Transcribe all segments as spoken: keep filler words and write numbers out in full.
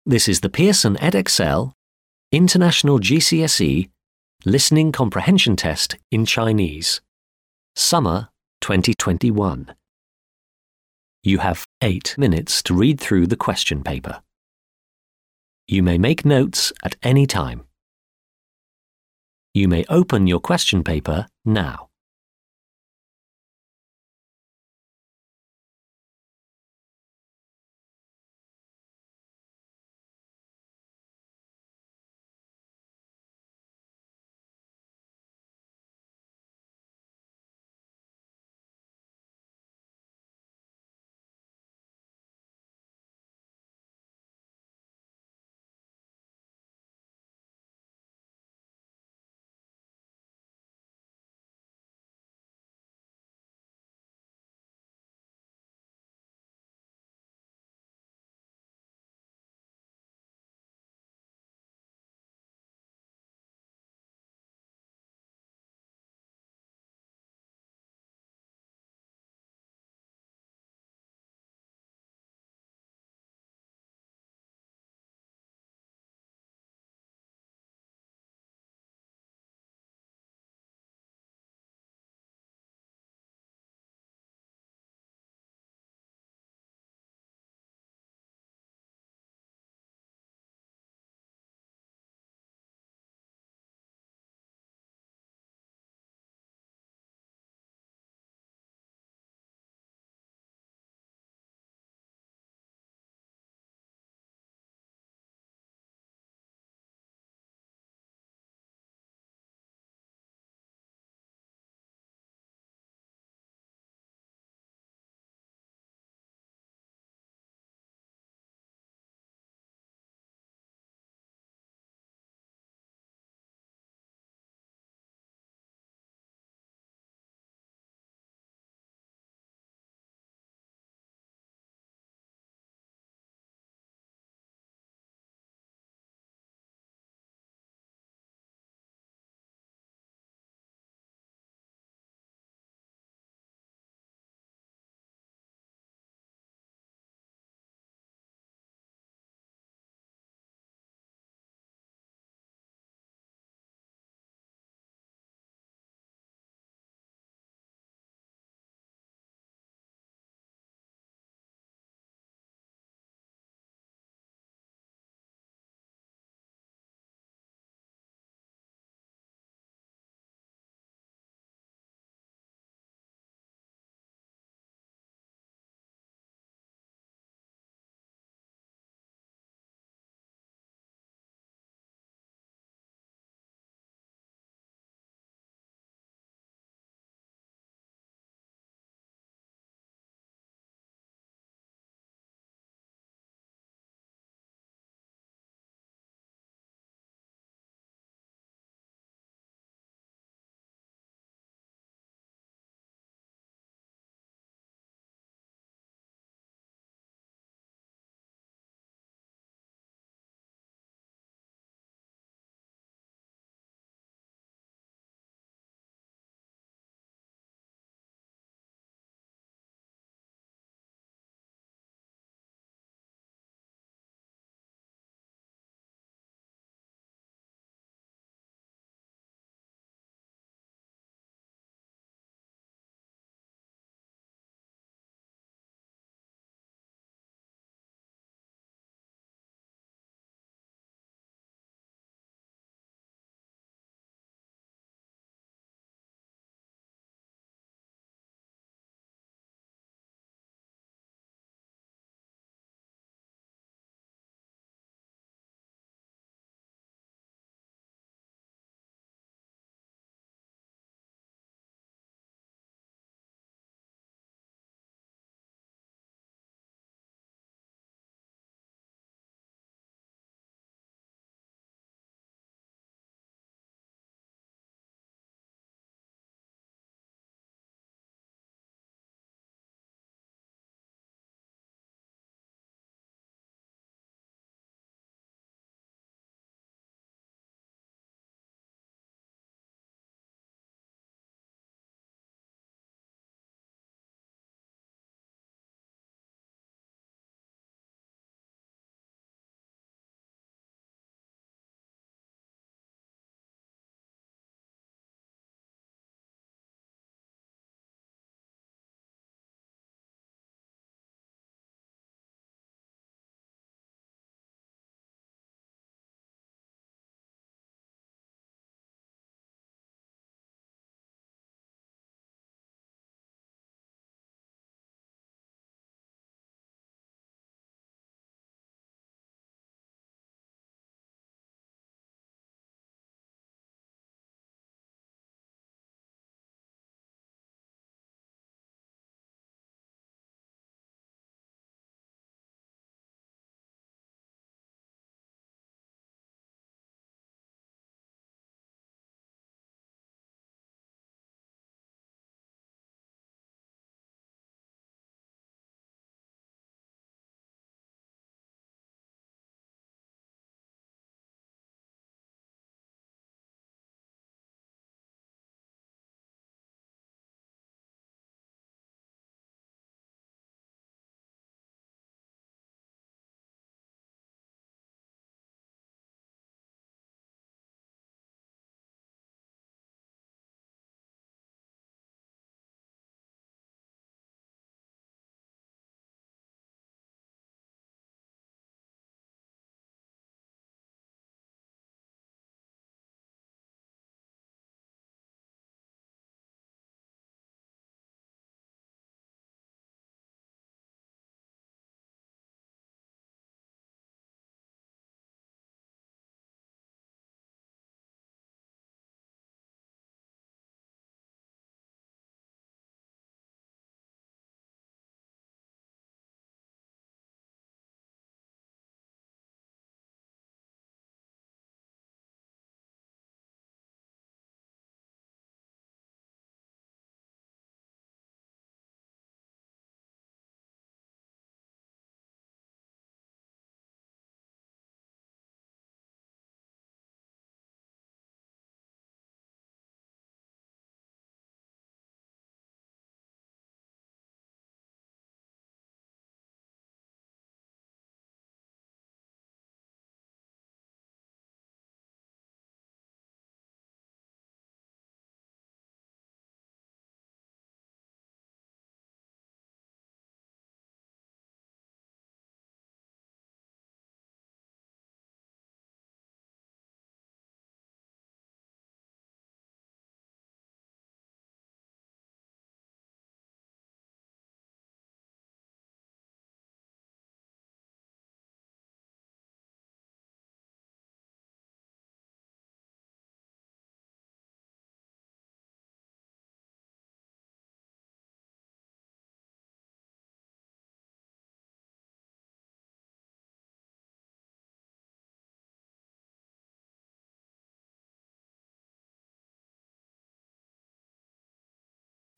This is the Pearson Edexcel International G C S E Listening Comprehension Test in Chinese, Summer twenty twenty-one. You have eight minutes to read through the question paper. You may make notes at any time. You may open your question paper now.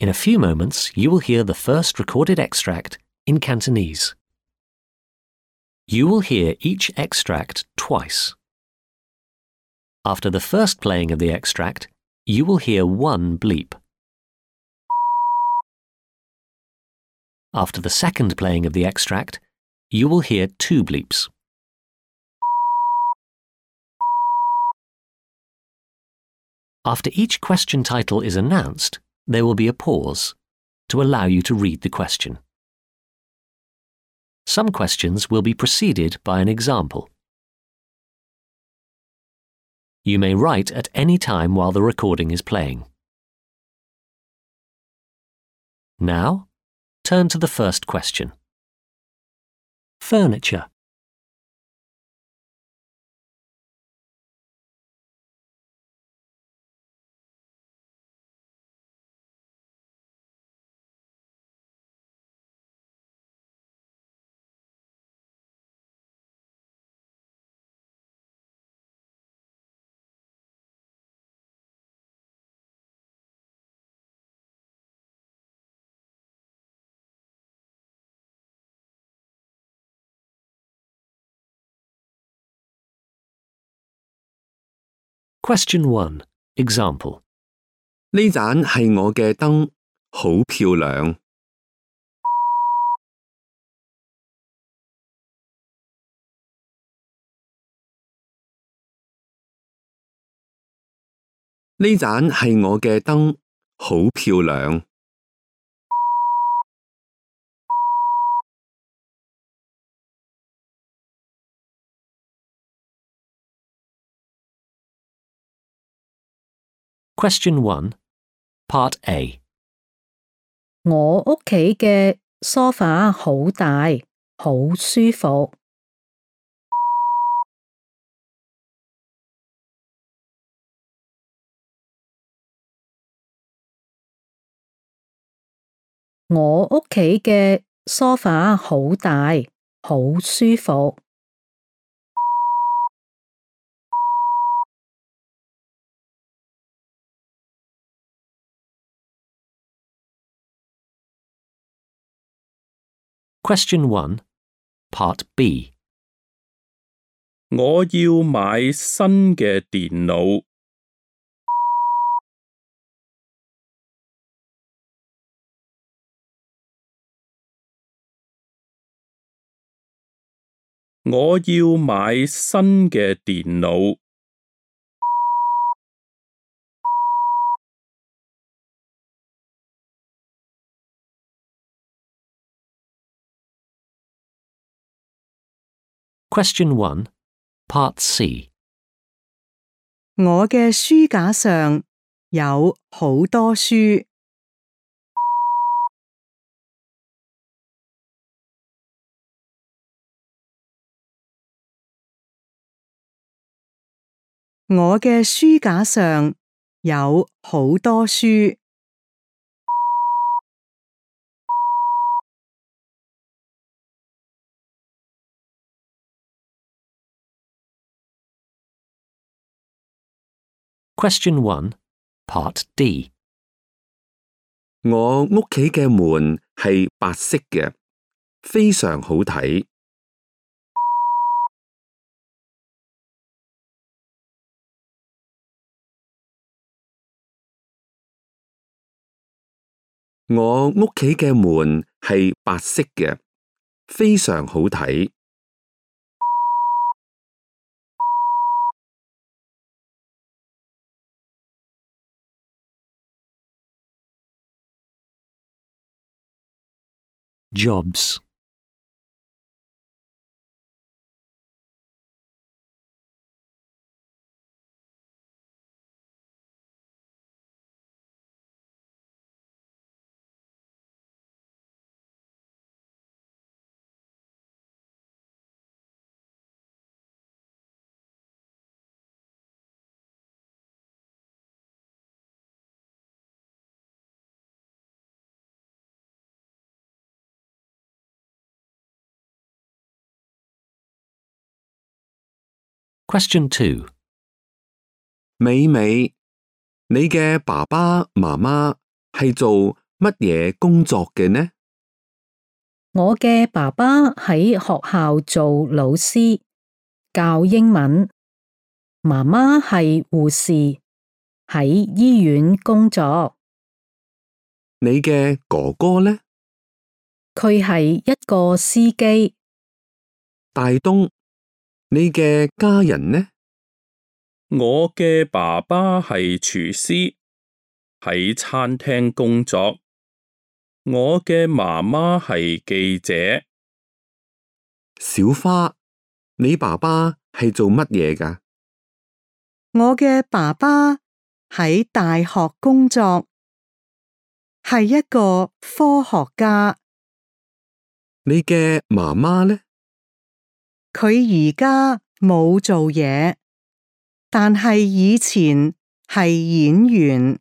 In a few moments, you will hear the first recorded extract in Cantonese. You will hear each extract twice. After the first playing of the extract, you will hear one bleep. After the second playing of the extract, you will hear two bleeps. After each question title is announced, there will be a pause to allow you to read the question. Some questions will be preceded by an example. You may write at any time while the recording is playing. Now, turn to the first question. Furniture. Question one. Example. 呢盞係我嘅燈，好漂亮。呢盞係我嘅燈，好漂亮。Question one. Part A. 我屋企嘅梳化好大，好舒服。我屋企嘅梳化好大，好舒服。Question one. Part B. 我要買新嘅電腦。我要買新嘅電腦。Question one. Part C. 我嘅書架上有好多書。我嘅書架上有好多書。Question one. Part D. 我屋企嘅門係白色嘅，非常好睇。我屋企嘅門係白色嘅，非常好睇。Jobs. Question two. 美美，你嘅爸爸媽媽係做乜嘢工作嘅呢？我嘅爸爸喺學校做老師，教英文。媽媽係護士，喺醫院工作。你嘅哥哥呢？佢係一個司機。大東，你嘅家人呢？我嘅爸爸係廚師，喺餐廳工作。我嘅媽媽係記者。小花，你爸爸係做乜嘢㗎？我嘅爸爸喺大學工作，係一個科學家。你嘅媽媽呢？佢而家冇做嘢，但係以前係演員。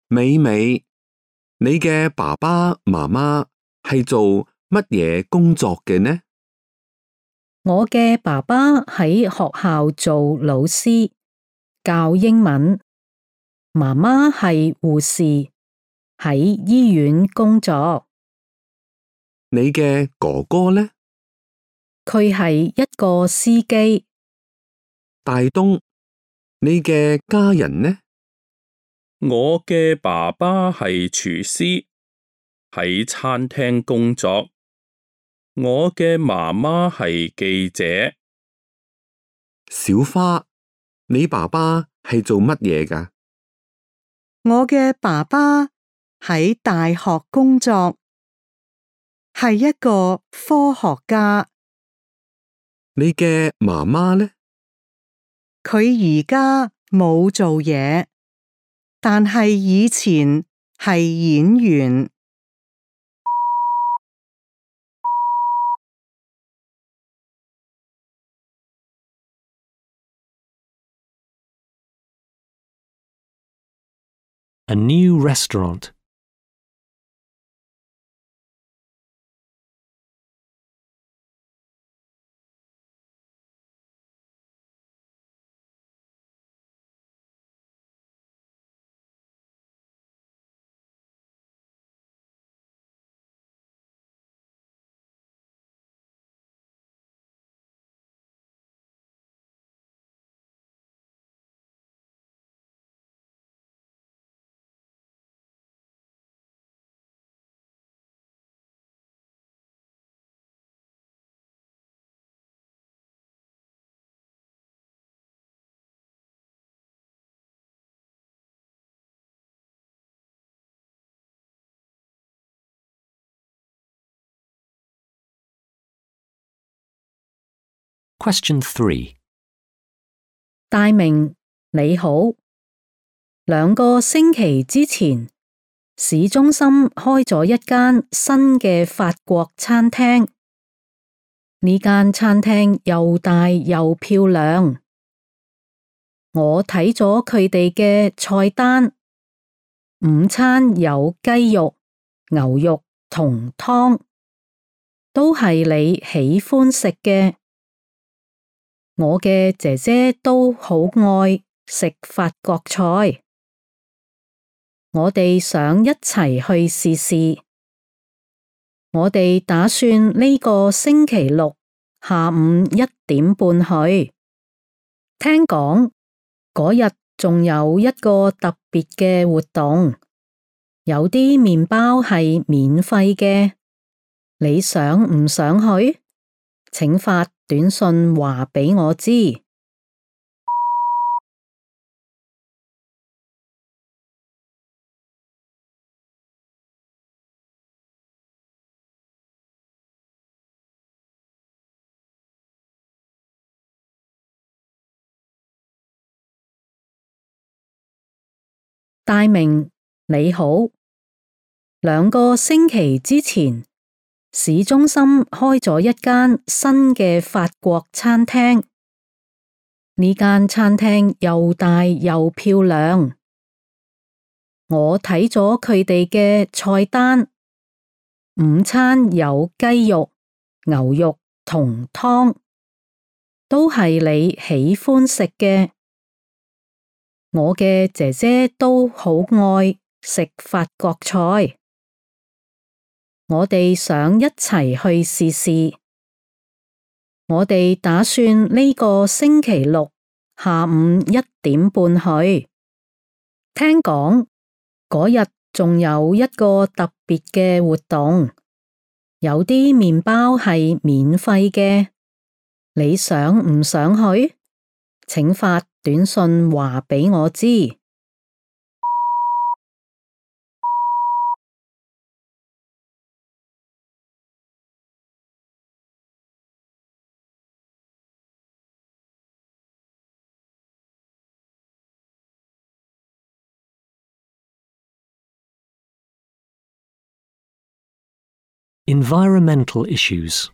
美美，你嘅爸爸媽媽係做乜嘢工作嘅呢？我嘅爸爸喺學校做老師，教英文。媽媽係護士，喺醫院工作。你嘅哥哥呢？佢係一個司機。大東，你嘅家人呢？我嘅爸爸係廚師，喺餐廳工作。我嘅媽媽係記者。小花，你爸爸係做乜嘢㗎？我嘅爸爸喺大學工作，係一個科學家。你嘅媽媽呢？佢而家冇做嘢，但係以前係演員。A new restaurant. Question three. 大明，你好。兩個星期之前，市中心開咗一間新嘅法國餐廳。呢間餐廳又大又漂亮。我睇咗佢哋嘅菜單，午餐有雞肉、牛肉同湯，都係你喜歡食嘅。我嘅姐姐都好愛食法國菜，我哋想一齊去試試。我哋打算呢個星期六下午一點半去。聽講嗰日仲有一個特別嘅活動，有啲麵包係免費嘅。你想唔想去？請發短信話畀我知。大明，你好。兩個星期之前，市中心開咗一間新嘅法國餐廳。呢間餐廳又大又漂亮。我睇咗佢哋嘅菜單，午餐有雞肉、牛肉同湯，都係你喜歡食嘅。我嘅姐姐都好愛食法國菜，我哋想一齊去試試。我哋打算呢個星期六下午一點半去。聽講嗰日仲有一個特別嘅活動，有啲麵包係免費嘅。你想唔想去？請發短信話俾我知。Environmental issues.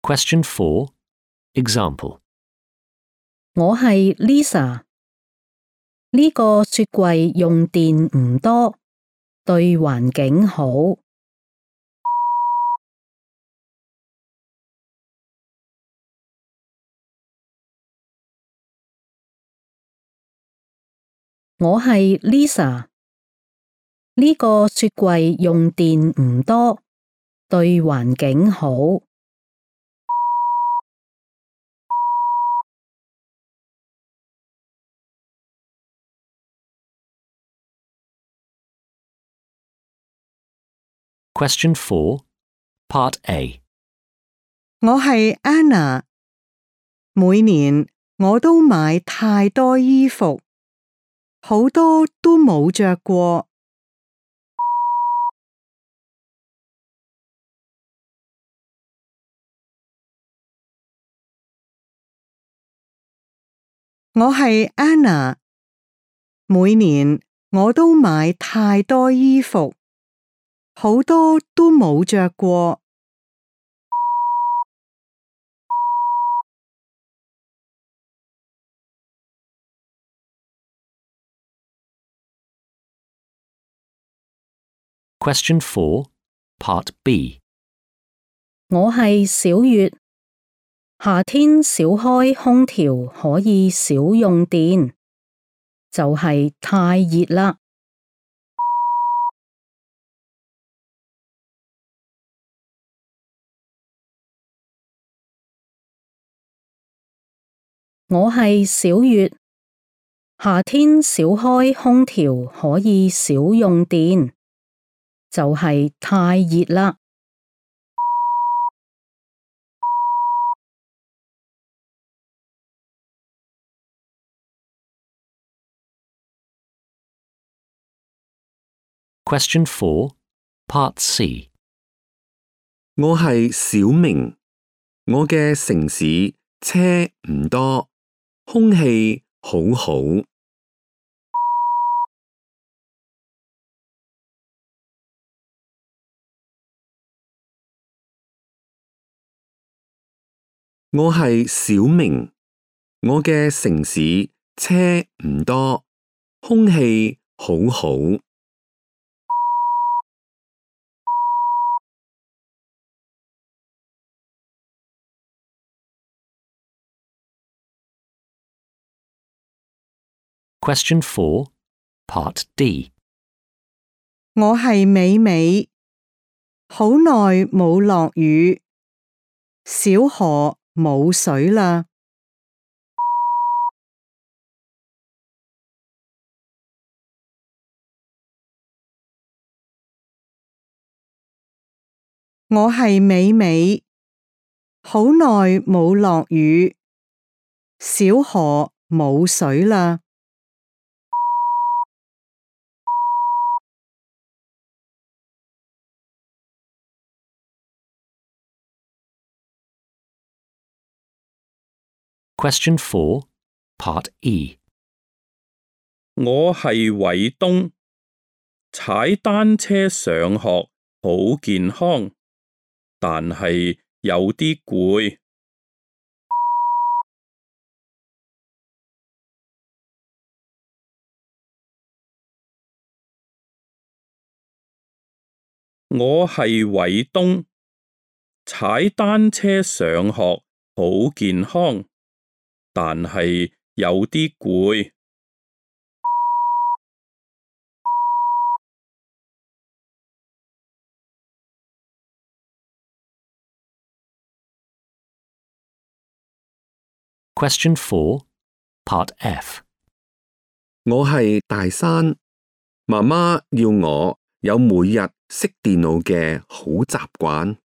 Question four. Example. 我係 Lisa，呢個雪櫃用電唔多，對環境好。我係 Lisa，呢個雪櫃用電唔多，對環境好。Question four. Part A. 我係 Anna， 每年我都買太多衣服，好多都冇着過。我係 Anna， 每年我都買太多衣服，好多都冇着過。Question four. Part B. 我係小月，夏天少開空調可以少用電，就係太熱啦。我係小月，夏天少開空調可以少用電，就係太熱啦。Question four. Part C. 我係小明，我嘅城市車唔多，空氣好好。我係小明，我嘅城市車唔多，空氣好好。Question four. Part D. 我係美美，好耐冇落雨，小河冇水啦。我係美美，好耐冇落雨，小河冇水啦。Question four, Part E. 我係偉東，踩單車上學好健康，但係有啲攰。我係偉東，踩單車上學好健康，但係有啲攰。Question four, Part F. 我係大山，媽媽要我有每日識電腦嘅好習慣。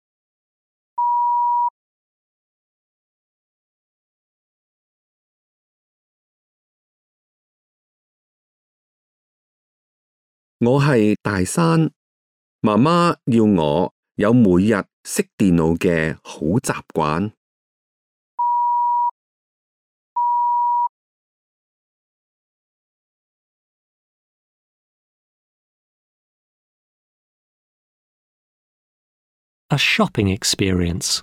我係大山，媽媽要我有每日識電腦嘅好習慣。A shopping experience.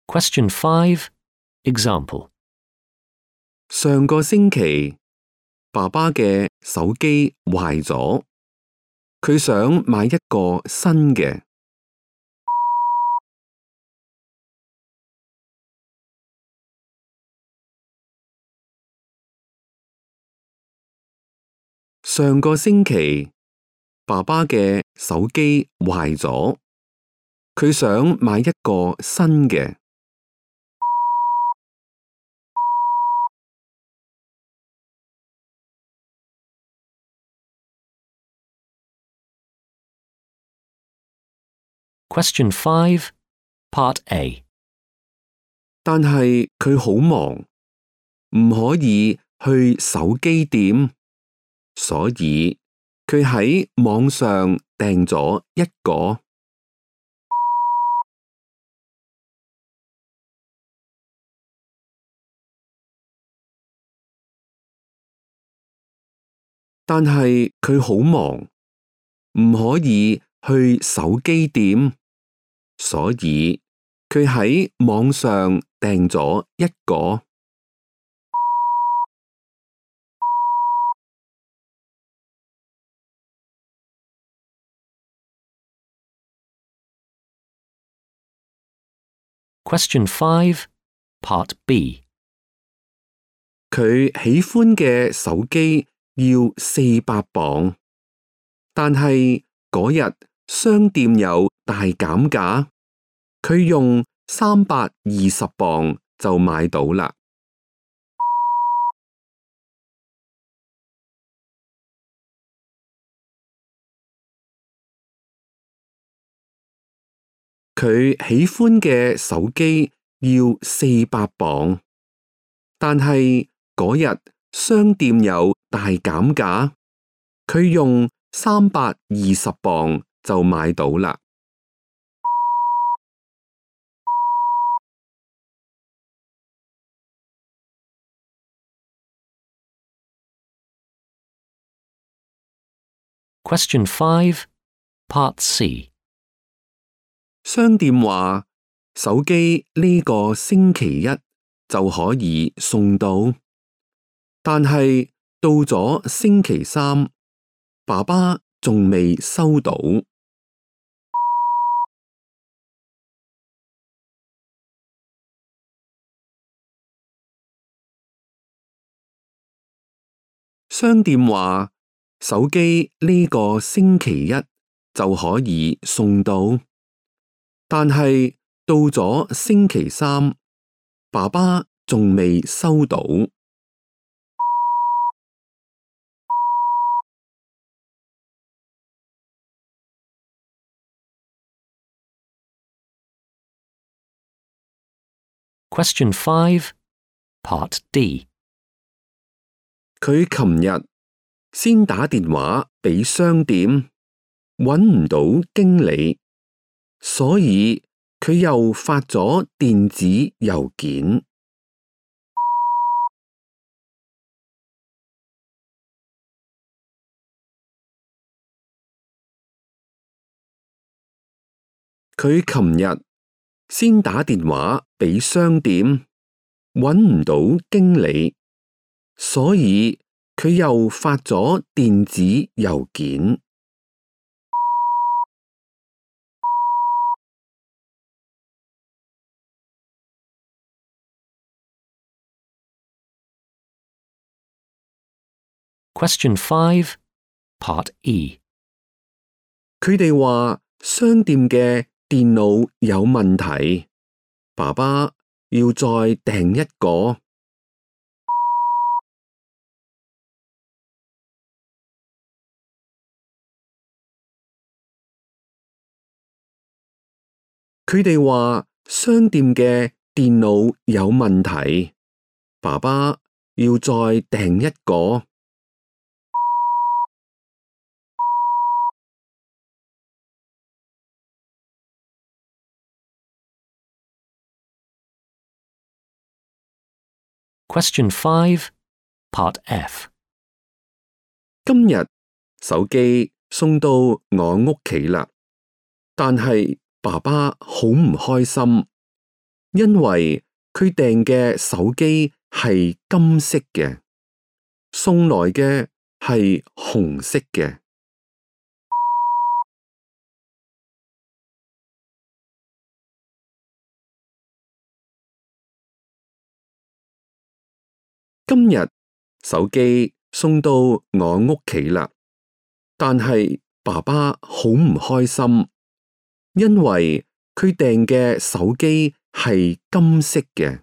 Question five, Example. 上個星期，爸爸嘅手機壞咗，佢想買一個新嘅。上個星期，爸爸嘅手機壞咗，佢想買一個新嘅。Question five, Part A. 但係佢好忙，唔可以去手機店，所以佢喺網上訂咗一個。但係佢好忙，唔可以去手機店，所以佢喺網上訂咗一個。Question five, Part B. 佢喜歡嘅手機要四百磅，但係嗰日商店有大減價，佢用三百二十磅就買到啦。佢喜歡嘅手機要四百磅，但係嗰日商店有大減價，佢用三百二十磅就買到啦。Question five, Part C. 商店話手機呢個星期一就可以送到，但係到咗星期三，爸爸仲未收到。商店話手機呢個星期一就可以送到，但係到咗星期三，爸爸仲未收到。Question five, Part D. 佢琴日先打電話俾商店，搵唔到經理，所以佢又發咗電子郵件。佢琴日先打電話俾商店，搵唔到經理，所以佢又發咗電子郵件。Question five, Part E. 佢哋話商店嘅電腦有問題，爸爸要再訂一個。佢哋話商店嘅電腦有問題，爸爸要再訂一個。Question five, Part F. 今日手機送到我屋企啦，但係爸爸好唔開心，因為佢訂嘅手機係金色嘅，送來嘅係紅色嘅。今日手機送到我屋企啦，但係爸爸好唔開心，因為佢訂嘅手機係金色嘅，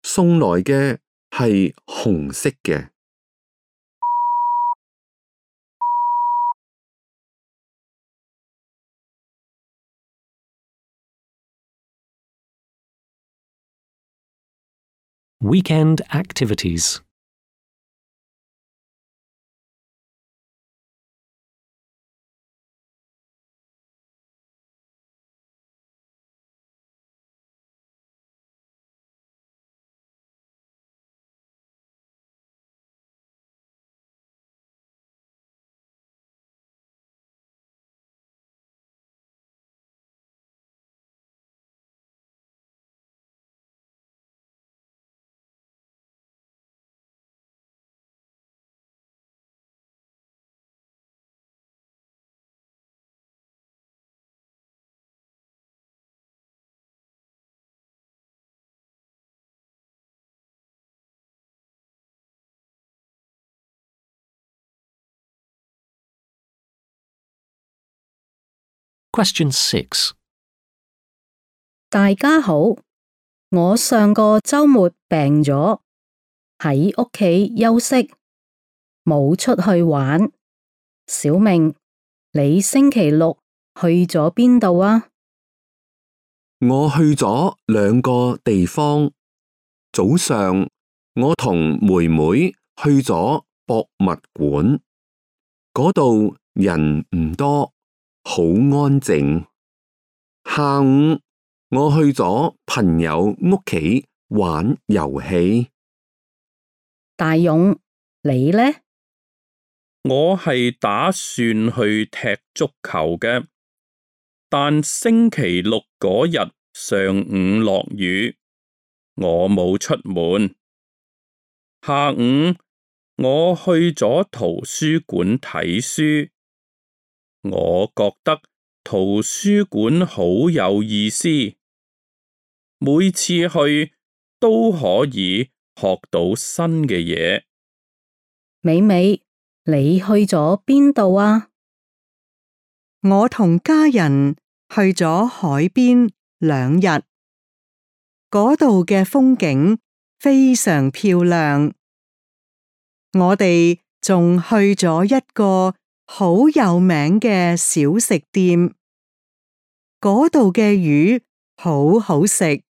送來嘅係紅色嘅。Weekend activities. Question six. 大家好，我上個週末病咗，喺屋企休息，冇出去玩。小明，你星期六去咗邊度啊？我去咗兩個地方。早上我同妹妹去咗博物館，嗰度人唔多，好安靜。下午我去咗朋友屋企玩遊戲。大勇，你呢？我係打算去踢足球嘅，但星期六嗰日上午落雨，我冇出門。下午我去咗圖書館睇書，我覺得圖書館好有意思，每次去都可以學到新嘅嘢。美美，你去咗邊度啊？我同家人去咗海邊兩日，嗰度嘅風景非常漂亮。我哋仲去咗一個好有名嘅小食店，嗰度嘅魚好好食。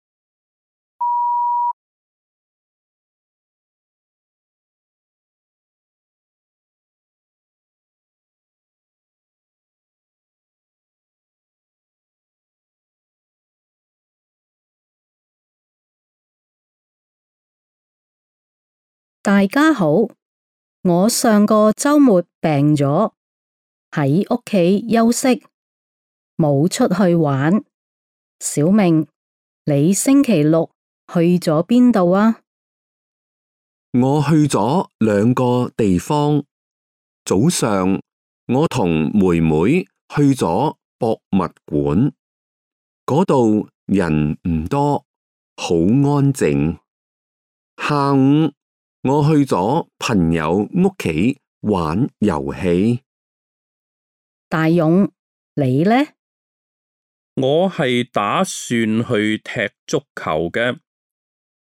大家好，我上個周末病咗，喺屋企休息，冇出去玩。小明，你星期六去咗邊度啊？我去咗兩個地方。早上我同妹妹去咗博物館，嗰度人唔多，好安靜。下午我去咗朋友屋企玩遊戲。大勇，你呢？我係打算去踢足球嘅，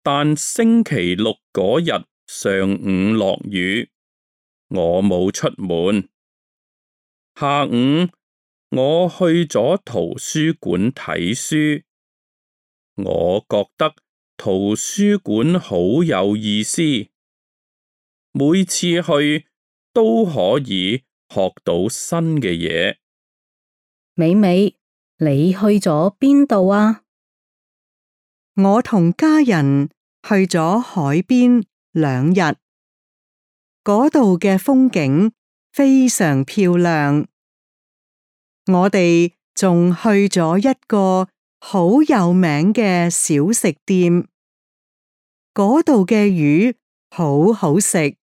但星期六嗰日上午落雨，我冇出門。下午我去咗圖書館睇書，我覺得圖書館好有意思，每次去都可以學到新嘅嘢。美美，你去咗邊度啊？我同家人去咗海邊兩日，嗰度嘅風景非常漂亮。我哋仲去咗一個好有名嘅小食店，嗰度嘅魚好好食。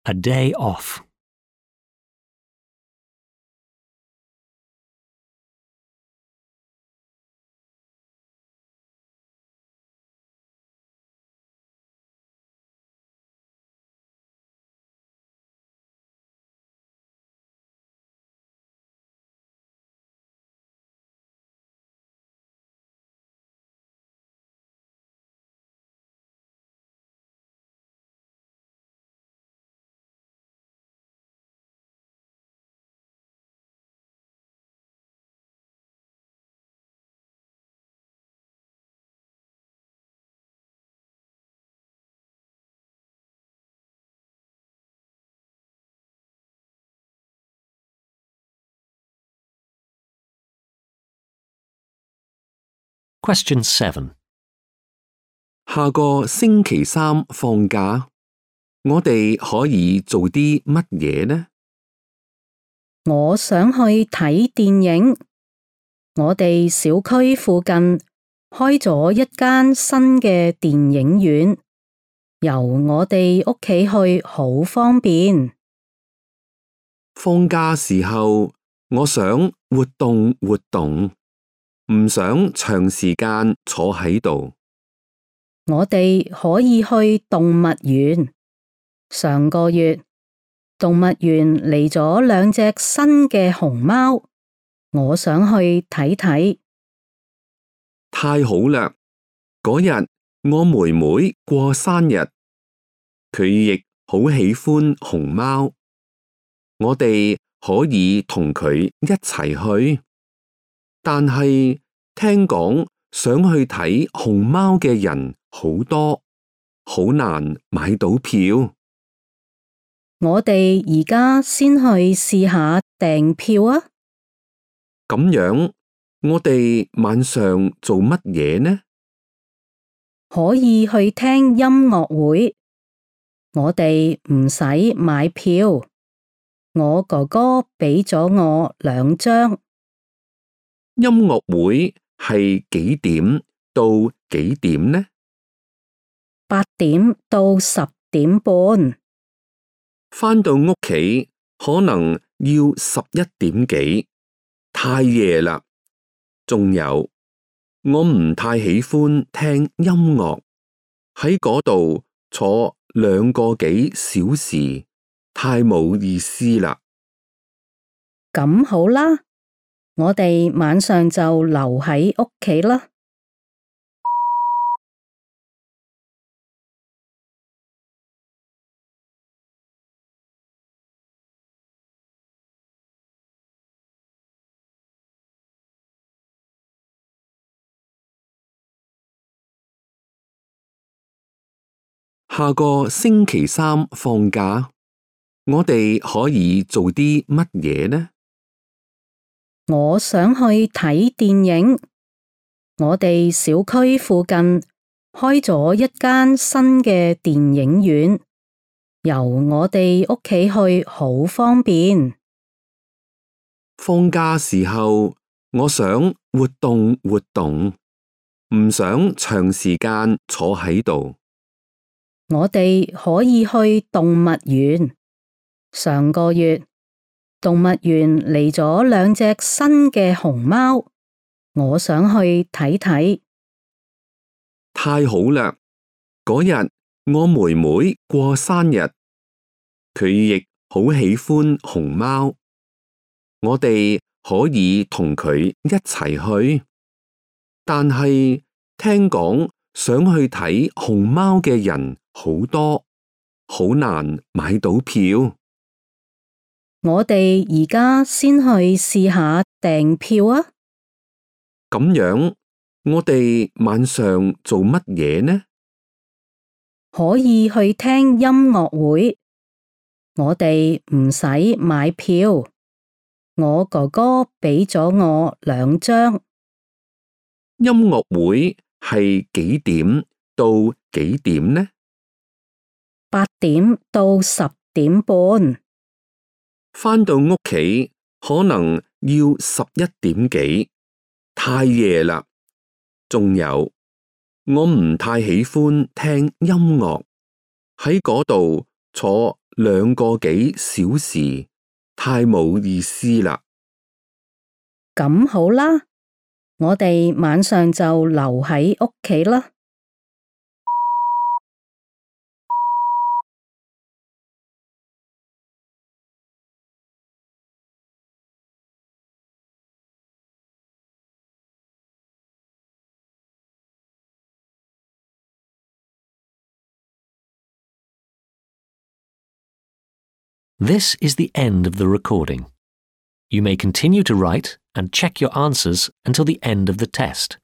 A day off. Question seven. 下個星期三放假，我哋可以做啲乜嘢呢？我想去睇電影。我哋小區附近開咗一間新嘅電影院，由我哋屋企去好方便。放假時候，我想活動活動，唔想長時間坐喺度。我哋可以去動物園。上個月，動物園嚟咗兩隻新嘅熊貓，我想去睇睇。太好啦！嗰日我妹妹過生日，佢亦好喜歡熊貓，我哋可以同佢一齊去。但係聽講想去睇熊貓嘅人好多，好難買到票。我哋而家先去試下訂票啊！咁樣，我哋晚上做乜嘢呢？可以去聽音樂會。我哋唔使買票，我哥哥俾咗我兩張。音樂會係幾點到幾點呢？八點到十點半。返到屋企可能要十一點幾，太夜啦。仲有，我唔太喜歡聽音樂，喺嗰度坐兩個幾小時，太冇意思啦。咁好啦，我哋晚上就留喺屋企啦。下個星期三放假，我哋可以做啲乜嘢呢？我想去睇電影。我哋小區附近開咗一間新嘅電影院，由我哋屋企去好方便。放假時候，我想活動活動，唔想長時間坐喺度。我哋可以去動物園。上個月，動物園嚟咗兩隻新嘅熊貓，我想去睇睇。太好啦！嗰日我妹妹過生日，佢亦好喜歡熊貓，我哋可以同佢一齊去。但係聽講想去睇熊貓嘅人好多，好難買到票。我哋而家先去試下訂票啊！咁樣，我哋晚上做乜嘢呢？可以去聽音樂會，我哋唔使買票。我哥哥俾咗我兩張。音樂會係幾點到幾點呢？八點到十點半。返到屋企可能要十一點幾，太夜啦。仲有，我唔太喜歡聽音樂，喺嗰度坐兩個幾小時，太冇意思啦。咁好啦，我哋晚上就留喺屋企啦。This is the end of the recording. You may continue to write and check your answers until the end of the test.